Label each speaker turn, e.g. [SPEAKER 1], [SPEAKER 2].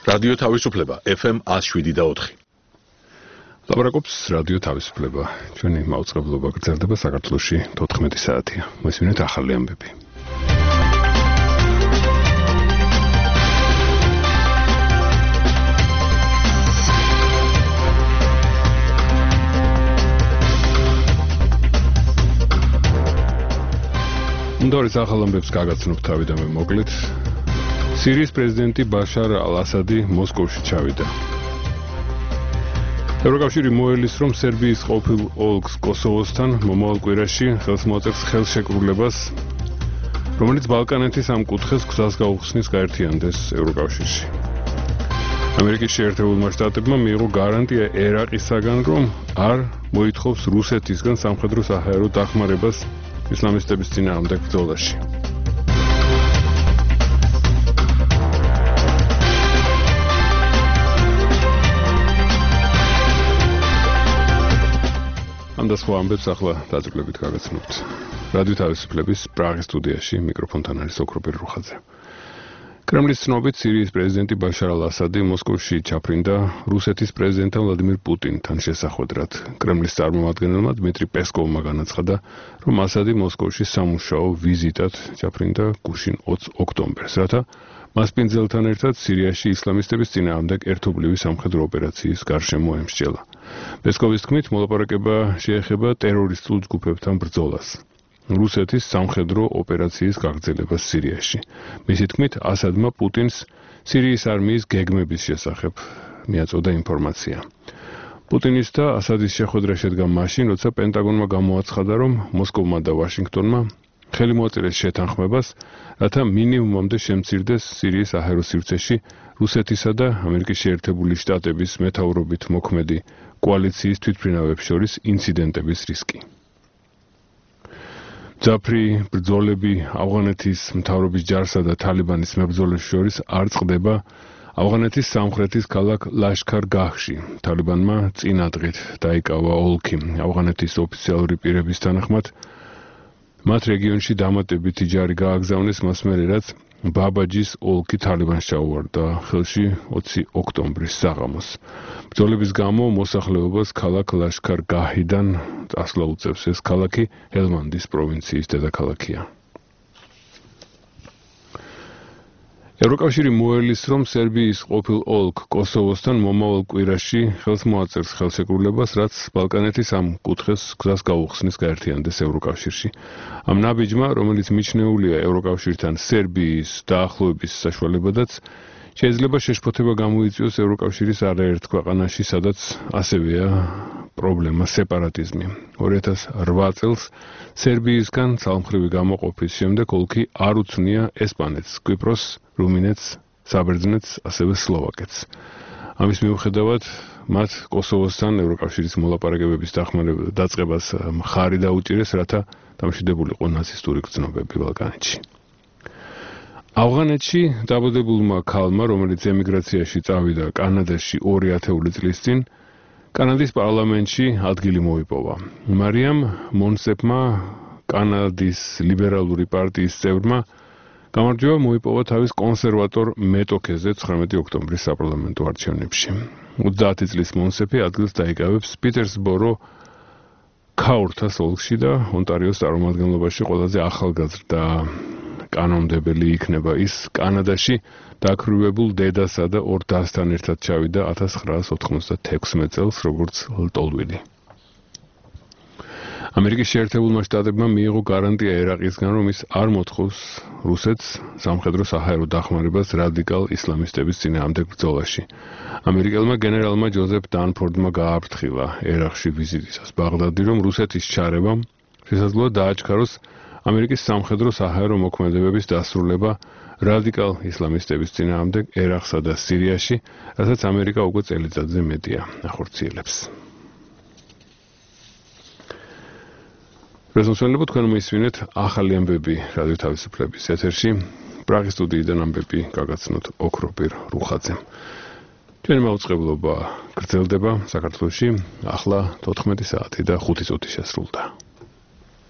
[SPEAKER 1] რადიო თავისუფლება FM 107.4.
[SPEAKER 2] ლაპარაკობს რადიო თავისუფლება. ჩვენი მაუწყებლობა გრძელდება საქართველოში 14 საათია. მოსმინეთ ახალი ამბები. უნდორის ახალ ამბებს გაგაცნობთ თავიდანვე მოკლედ. სირიის პრეზიდენტი ბაშარ ალ-ასადი მოსკოვში ჩავიდა. ევროკავშირი მოელის, რომ სერბიის ყოფილ ოლქს კოსოვოსთან მომავალ კვირაში ხელს მოაწერს ხელშეკრულებას, რომელიც ბალკანეთის ამ კუთხეს გზას გაუხსნის გაერთიანდეს ევროკავშირში. ამერიკის შეერთებულმა შტატებმა მიიღო გარანტია ერაყისაგან, რომ არ მოითხოვს რუსეთისგან სამხედრო საჰაერო დახმარებას ისლამისტების წინააღმდეგ ბრძოლაში. და სხვა ამბებს ახლა დაძაბულებით გაგაცნობთ. რადიო თავისუფლების პრაღის სტუდიაში მიკროფონთან არის ოქროპერ რუხაძე. კრემლის ცნობით სირიის პრეზიდენტი ბაშარ ალ-ასადი მოსკოვში ჩაფრინდა რუსეთის პრეზიდენტთან ვლადიმირ პუტინთან შესახვედრად. კრემლის წარმომადგენელმა დმიტრი პესკოვმა განაცხადა, რომ ასადი მოსკოვში სამუშაო ვიზიტად ჩაფრინდა გუშინ 20 ოქტომბერს, რათა მასპინძელთან ერთად სირიაში ისლამისტების წინააღმდეგ ერთობლივი სამხედრო ოპერაციის გარშემო ემსჯელა. პესკოვის თქმით, მოლაპარაკება შეეხება ტერორისტულ ჯგუფებთან ბრძოლას. რუსეთის სამხედრო ოპერაციის გაგრძელებას სირიაში. მისი თქმით, ასადმა პუტინს სირიის არმიის გეგმების შესახებ მიაწოდა ინფორმაცია. პუტინის და ასადის შეხვედრა შედგა მაშინ, როცა პენტაგონმა გამოაცხადა, რომ მოსკოვმა და ვაშინგტონმა ხელი მოაწერეს შეთანხმებას, რათა მინიმუმამდე შემცირდეს სირიის საჰაერო სივრცეში რუსეთისა და ამერიკის შეერთებული შტატების მეთაურობით მოქმედი კოალიციის თვითმფრინავებს შორის ინციდენტების რისკი. ძაფრი ბრძოლები ავღანეთის მთავრობის ჯარსა და თალიბანის მებრძოლებს შორის არ წყდება ავღანეთის სამხრეთის ქალაქ ლაშქარ-გაჰში. თალიბანმა წინადღით დაიკავა ოლქი. ავღანეთის ოფიციალური პირების თანახმად მათ რეგიონში დამატებითი ჯარი გააგზავნეს მას მერე, რაც ბაბაჯის ოლქი თალიბანს ჩაუვარდა ხელში 20 ოქტომბრის საღამოს. ბრძოლების გამო მოსახლეობას ქალაქ ლაშქარ-გაჰიდან წასვლა უწევს. ეს ქალაქი ჰელმანდის პროვინციის დედაქალაქია. ევროკავშირი მოელის, რომ სერბიის ყოფილ ოლქ კოსოვოსთან მომავალ კვირაში ხელს მოაწერს ხელშეკრულებას, რაც ბალკანეთის ამ კუთხეს გზას გაუხსნის გაერთიანდეს ევროკავშირში. ამ ნაბიჯმა, რომელიც მიჩნეულია ევროკავშირთან სერბიის დაახლოების საშუალებადაც, შეიძლება შეშფოთება გამოიწვიოს ევროკავშირის არაერთ ქვეყანაში, სადაც ასევეა პრობლემა სეპარატიზმი. 2008 წელს სერბიისგან ცალმხრივი გამოყოფის შემდეგ ოლქი არ უცნია ესპანეთს, კვიპროსს, რუმინეთს, საბერძნეთს, ასევე სლოვაკეთს. ამის მიუხედავად, მათ კოსოვოსთან ევროკავშირის მოლაპარაკებების დაწყებას მხარი დაუჭირეს, რათა დამშვიდებულიყო ნაცისტური გრძნობები ბალკანეთში. ავღანეთში დაბადებულმა ქალმა, რომელიც ემიგრაციაში წავიდა კანადაში 2000 წლის წინ, კანადის პარლამენტში ადგილი მოიპოვა. მარიამ მონსეპმა, კანადის ლიბერალური პარტიის წევრმა, გამარჯვება მოიპოვა თავის კონსერვატორ მეტოქეზე 19 ოქტომბრის საპარლამენტო არჩევნებში. 30 წლის მონსეპი ადგილს დაიკავებს პიტერსბორო ქაურთას ოლქში და ონტარიოს წარმომადგენლობაში ყველაზე ახალგაზრდა კანონმდებელი იქნება. ის კანადაში დაქრულებულ დედასა და ორ დასთან ერთად ჩავიდა 1996 წელს, როგორც ლტოლვილი. ამერიკის შეერთებულმა შტატებმა მიიღო გარანტია ერაყისგან, რომ ის არ მოთხოვს რუსეთს სამხედრო საჰაერო დახმარებას რადიკალ ისლამისტების წინააღმდეგ ბრძოლაში. ამერიკელმა გენერალმა ჯოზეფ დანფორდმა გააფრთხილა ერაყში ვიზიტისას ბაღდადი, რომ რუსეთის ჩარევამ შესაძლოა დააჩქაროს ამერიკის სამხედრო საჰაერო მოქმედებების დასრულება რადიკალ ისლამისტების წინააღმდეგ ერაყსა და სირიაში, რასაც ამერიკა უკვე წელიწადზე მეტია ახორციელებს. რეზონსვენებო თქვენ მოისმინეთ ახალი ამბები რადიო თავისუფლების ეთერში. პრაღის სტუდიიდან ამბები გაგაცნოთ ოქროპერ რუხაძემ. ჩვენი მაუწყებლობა გრძელდება საქართველოში ახლა 14 საათი და 5 წუთი შესრულდა.